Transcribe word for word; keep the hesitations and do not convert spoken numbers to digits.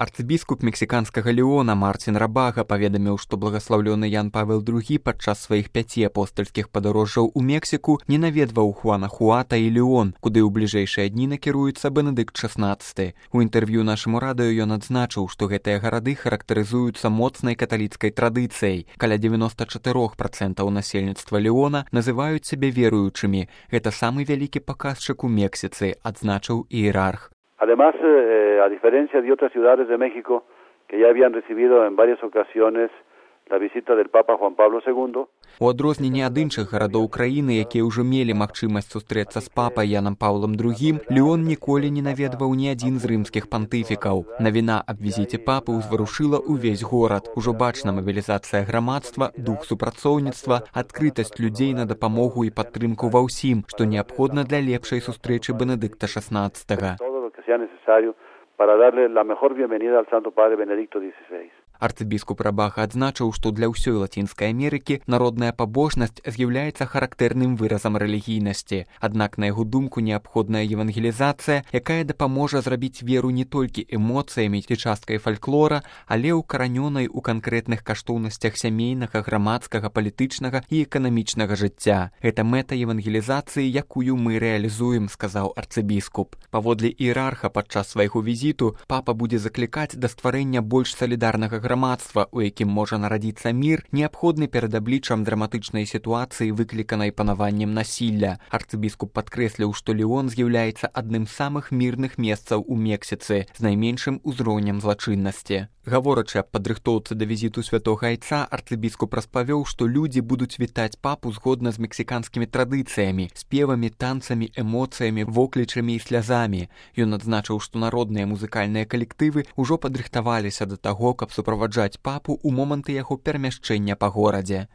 Арцыбіскуп мексіканскага Леона Марцін Рабага паведаміў, што благаслаўлёны Ян Павел другі падчас сваіх пяці апостальскіх падарожжаў у Мексіку не наведваў Хуанахуата і Леон, куды ў бліжэйшыя дні накіруецца Бенедыкт шаснаццаты. У інтэрв'ю нашаму радыё ён адзначыў, што гэтыя гарады характарызуюцца моцнай каталіцкай традыцыяй. Каля дзевяноста чатырох працэнтаў насельніцтва Леона называюць сябе веруючымі. Гэта самы вялікі паказчык у Мексіцы, адзначыў іерарх. Además, eh, a diferencia de otras ciudades de México que ya habían recibido en varias ocasiones la visita del Papa Juan Pablo segundo. У адрозненне ад іншых гарадоў краіны, якія ўжо мелі магчымасць сустрэцца з папай Янам Паўлам другім, Леон ніколі не наведваў ні адзін з рымскіх пантыфікаў. Навіна аб візіце папы ўзварушыла ўвесь горад. Ужо бачна мабілізацыя грамадства, дух супрацоўніцтва, адкрытасць людзей на дапамогу і падтрымку ва ўсім, што неабходна для лепшай сустрэчы Бенедыкта шаснаццатага. Necesario para darle la mejor bienvenida al Santo Padre Benedicto dieciséis. Арцыбіскуп Рабага адзначыў, што для ўсёй Лацінскай Амерыкі народная пабожнасць з'яўляецца характэрным выразам рэлігійнасці. Аднак, на яго думку, неабходная евангелізацыя, якая дапаможа зрабіць веру не толькі эмоцыямі ці часткай фальклора, але ўкаранёнай у канкрэтных каштоўнасцях сямейнага, грамадскага, палітычнага і эканамічнага жыцця. Гэта мэта евангелізацыі, якую мы рэалізуем, сказаў арцыбіскуп. Паводле іерарха падчас свайго візіту папа будзе заклікаць да стварэння больш салідарнага грамадства, у якім можа нарадзіцца мір, неабходны перад абліччам драматычнай сітуацыі, выкліканай панаваннем насілля. Арцыбіскуп падкрэсліў, што Леон з'яўляецца адным з самых мірных месцаў у Мексіцы з найменшым узроўнем злачыннасці. Гаворачы аб падрыхтоўцы да візіту святога айца, арцыбіскуп распавёў, што людзі будуць вітаць папу згодна з мексіканскімі традыцыямі, спевамі, танцамі, эмоцыямі, воклічамі і слязамі. Ён адзначыў, што народныя музыкальныя калектывы ўжо падрыхтаваліся да таго, каб суправаджаць папу ў моманты яго перамяшчэння па горадзе.